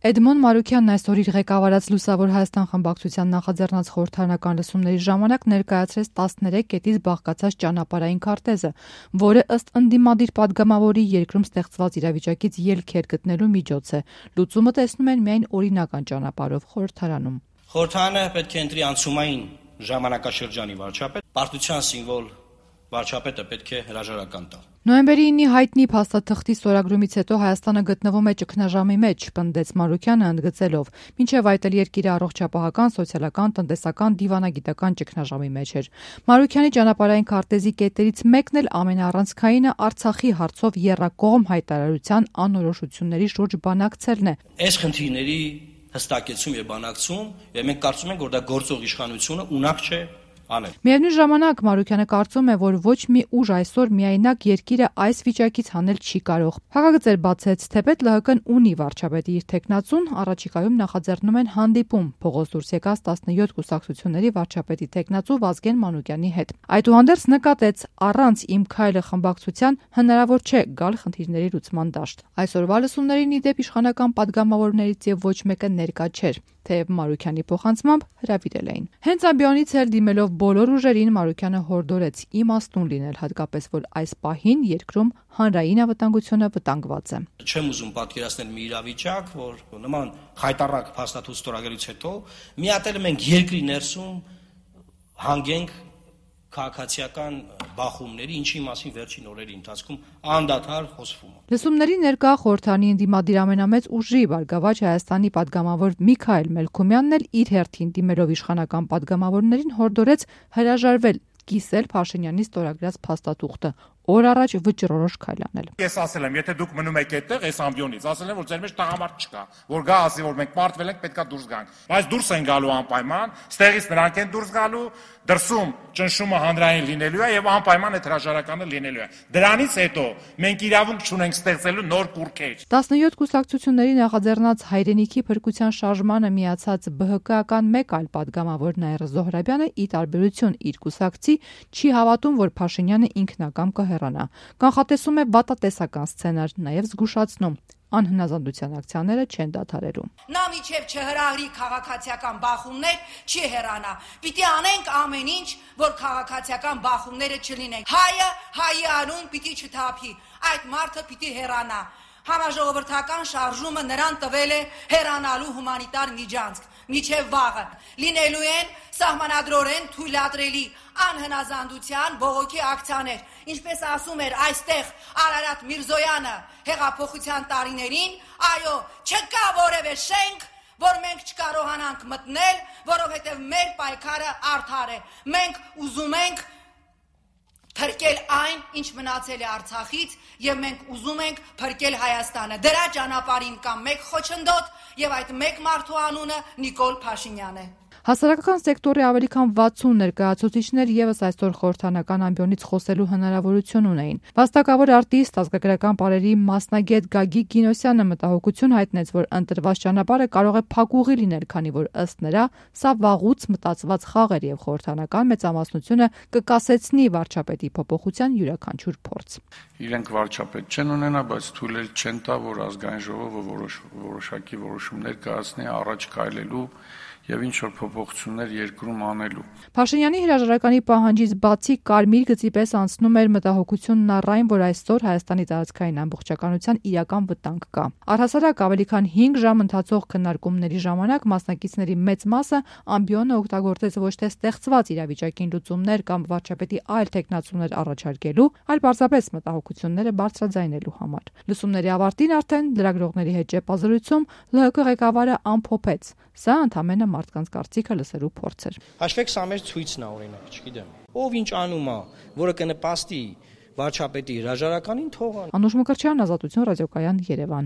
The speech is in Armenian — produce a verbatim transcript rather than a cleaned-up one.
Էդմոն Մարուքյանն այսօր իր ղեկավարած Լուսավոր Հայաստան խմբակցության նախաձեռնած խորհրդարանական լսումների ժամանակ ներկայացրեց տասներեք կետից բաղկացած ճանապարհային քարտեզը, որը ըստ ընդդիմադիր պատգամավորի երկրում ստեղծված իրավիճակից ելքեր գտնելու միջոց է։ Լուծումը տեսնում են միայն օրինական ճանապարհով խորհրդարանում։ Խորհրդարանը պետք է ընտրի անցումային ժամանակաշրջանի վարչապետ, պարտության սիմվոլ վարչապետը պետք է հրաժարական տա։ Նոյեմբերի ինը հայտնի փաստաթղթի ստորագրումից հետո Հայաստանը գտնվում է ճգնաժամի մեջ, պնդեց Մարուքյանը ընդգծելով, մինչև այդ էլ երկիրը առողջապահական, սոցիալական, տնտեսական, դիվանագիտական ճգնաժամի մեջ էր։ Մարուքյանի ճանապարհային քարտեզի կետերից մեկն էլ ամենաառանցքայինը Արցախի հարցով եռակողմ հայտարարության անորոշությունների շուրջ բանակցելն է։ Այս խնդիրների հստակեցում եւ բանակցում, եւ մենք կարծում ենք, որ դա գործող իշխանությունը ունակ չէ անել։ Միևնույն ժամանակ Մարուքյանը կարծում է, որ ոչ մի ուժ այսօր միայնակ երկիրը այս վիճակից հանել չի կարող։ Հակագծեր բացեց, թեպետ Լ Հ Կ-ն ունի վարչապետի իր թեկնածուն, առաջիկայում նախաձեռնում են հանդիպում փողոց դուրս եկած տասնյոթ կուսակցությունների վարչապետի թեկնածու Վազգեն Մանուկյանի հետ։ Այդուհանդերձ նկատեց, առանց Իմ քայլը խմբակցության հնարավոր չէ գալ խնդիրների լուծման դաշտ։ Այսօրվա լսումներին ի դեպ իշխանական պատգամավորներից եւ ոչ մեկը ներկա չէր, թեև Մարուքյանի փոխանցմամբ հրավիրել էին։ Հենց ամբիոնից էլ դիմելով բոլոր ուժերին Մարուքյանը հորդորեց իմաստուն լինել, հատկապես որ այս պահին երկրում հանրային անվտանգությունը վտանգված է։ Չեմ ուզում պատկերացնել մի իրավիճակ, որ նման խայտառակ փաստաթուղթ ստորագրելուց հետո մի հատ էլ մենք երկրի ներսում հանգենք քաղաքացիական բախումների, ինչի մասին վերջին օրերի ընթացքում անդադար խոսվում է։ Լսումների ներկա խորհրդանի ընդդիմադիր ամենամեծ ուժի Բարգավաճ Հայաստանի պատգամավոր Միքայել Մելքումյանն էլ իր հերթին դիմելով իշխանական պատգամավորներին հորդորեց հրաժարվել կիսել Փաշինյանի ստորագրած փաստաթուղթը, օր առաջ վճռորոշ քայլ անել։ Ես ասել եմ, եթե դուք մնում եք այդտեղ, այս ամբիոնից, ասել եմ, որ ձեր մեջ տղամարդ չկա, որ գա ասի, որ մենք պարտվել ենք, պետքա դուրս գանք։ Բայց դուրս են գալու անպայման, ստեղից նրանք են դուրս գալու, դրսում ճնշումը հանրային լինելու է եւ անպայման այդ հրաժարականը լինելու է։ Դրանից հետո մենք իրավունք չունենք ստեղծելու նոր կուրքեր։ տասնյոթ կուսակցությունների նախաձեռնած հայրենիքի փրկության շարժմանը միացած Բ Հ Կ-ական մեկ այլ պատգամավոր Նաիրա Զոհրաբյանը ի տարբերություն իր կուսակցի չի հավատում, որ Փաշինյանը ինքնակամ կհեռանա։ Կանխատեսում է վատատեսական սցենար, նաև զգուշացնում անհնազանդության ակցիաները չեն դադարելու։ Նա միջև չհրահրի քաղաքացիական բախումներ, չի հեռանա։ Պիտի անենք ամեն ինչ, որ քաղաքացիական բախումները չլինեն։ Հայը հայի անուն պիտի չթափի։ Այդ մարդը պիտի հեռանա։ Համաժողովրդական շարժումը նրան տվել է հեռանալու հումանիտար միջանցք, միջև վաղը։ Լինելու են սահմանադրորեն թույլատրելի անհնազանդության բողոքի ակցիաներ, ինչպես ասում էր այստեղ Արարատ Միրզոյանը հեղափոխության տարիներին, այո, չկա որևէ շենք, որ մենք չկարողանանք մտնել, որովհետև մեր պայքարը արդար է։ Մենք ուզում ենք փրկել այն, ինչ մնացել է Արցախից, եւ մենք ուզում ենք փրկել Հայաստանը։ Դրա ճանապարհին կա մեկ խոչընդոտ, եւ այդ մեկ մարդու անունը Նիկոլ Փաշինյանն է։ Հասարակական սեկտորի ավելի քան վաթսուն ներկայացուցիչներ եւս այսօր խորհրդանական ամբիոնից խոսելու հնարավորություն ունեին։ Վաստակավոր արտիստ, ազգագրական պարերի մասնագետ Գագիկ Գինոսյանը մտահոգություն հայտնեց, որ ընտրված ճանապարհը կարող է փակուղի լինել, քանի որ ըստ նրա սա վաղուց մտածված խաղ էր եւ խորհրդանական մեծամասնությունը կկասեցնի վարչապետի փոփոխության յուրաքանչյուր փորձ։ Իրենք վարչապետ չեն ունենա, բայց թույլ էլ չեն տա, որ ազգային ժողովը որոշ որոշակի որոշումներ կայացնի առաջ քայլելու եւ ինչ որ փոփոխություններ երկրում անելու։ Փաշինյանի հրաժարականի պահանջից բացի կարմիր գծի պես անցնում էր մտահոգությունն առայն, որ այսօր Հայաստանի տարածքային ամբողջականության իրական վտանգ կա։ Առհասարակ ավելի քան հինգ ժամ ընթացող քննարկումների ժամանակ մասնակիցների մեծ մասը ամբիոնը օգտագործեց ոչ թե ստեղծված իրավիճակին լուծումներ կամ վարչապետի այլ տեխնացումներ առաջարկելու, այլ պարզապես մտահոգությունները բարձրաձայնելու համար։ Լսումների ավարտին արդեն լրագրողների հետ ճեպազրույցում Լ Հ Կ ղեկավարը ամփոփեց. սա ընդամենը մարդկանց կարծիքը լսելու փորձ էր։ Հաշվեք, սա մեր ցույցն է, օրինակ, չգիտեմ։ Ով ինչ անում է, որը կնպաստի վարչապետի հրաժարականին, թող անի։ Անուշ Մկրտչյան, Ազատություն ռադիոկայան, Երևան։